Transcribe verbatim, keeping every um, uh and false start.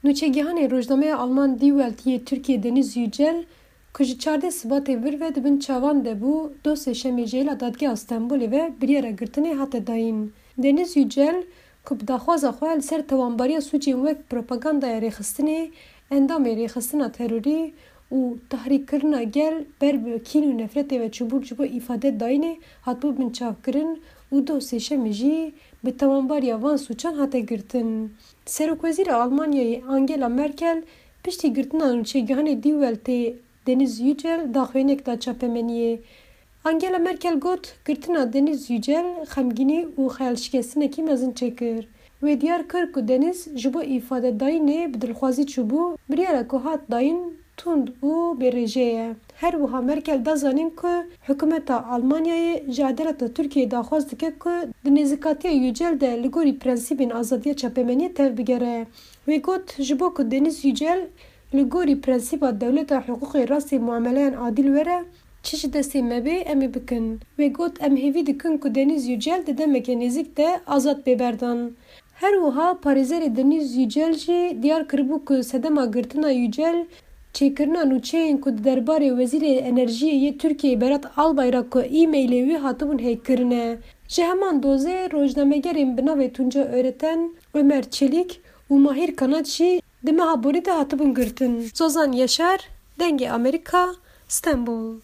Nûçegihanê rojnameya Alman Die Welt yê Tirkiyê Deniz Yücel, ku ji çardeh Sibatê vir ve di bin çavan de bû, doh sêşemê ji hêla Dadgeha Stenbolê ve biryara girtinê hate dayîn. Deniz Yücel, ku bi daxwaza xwe li ser tewanbariya sûcên wek propagandaya rêxistinê, endamê rêxistina terorî û tahrîkkirina gel ber bi kîn û nefretê ve çûbû ji bo îfade dayînê, hatibû binçavkirin û doh sêşemê jî bi tewanbariya van sûcan hate girtin. Serokwezîra Almanyayê Angela Merkel piştî girtina nûçegihanê Die Weltê Deniz Yücel daxuyaniyek da çapemeniyê. Angela Merkel got, girtina Deniz Yücel xemgînî û xeyalşikestinekî mezin çêkir. Wê diyar kir ku Deniz ji bo îfadedayînê bi dilxwazî çûbû, biryara ku hat dayîn tund û bêrêje ye. Her wiha Merkel da zanîn ku hikûmeta Almanyayê ji edaleta Tirkiyeyê daxwaz dike ku di nêzîkatiya Yücel de li gorî prensîbên azadiya çapemeniyê tevbigere. Wê got, ji bo ku Deniz Yücel li gorî prensîba dewleta hiqûqê rastê muameleyan adîl were, çi ji destê me bê, em ê bikin. Wê got, em hêvî dikin ku Deniz Yücel di demeke nêzîk de azad bê berdan. Her wiha parêzerê Deniz Yücel jî diyar kiribû ku sedema girtina Yücel çêkirina nûçeyên ku di derbarê Wezîrê Enerjiyê yê Tirkiyeyê Berat Albayrak ku e-mailê wî hatibûn hackkirin e. Ji heman dozê rojnamegerên bi navê Tunca Öreten, Ömer Çelik û Mahir Kanat jî di meha borî de hatibûn girtin. Zozan Yaşar, Dengê Amerîka, Stenbol.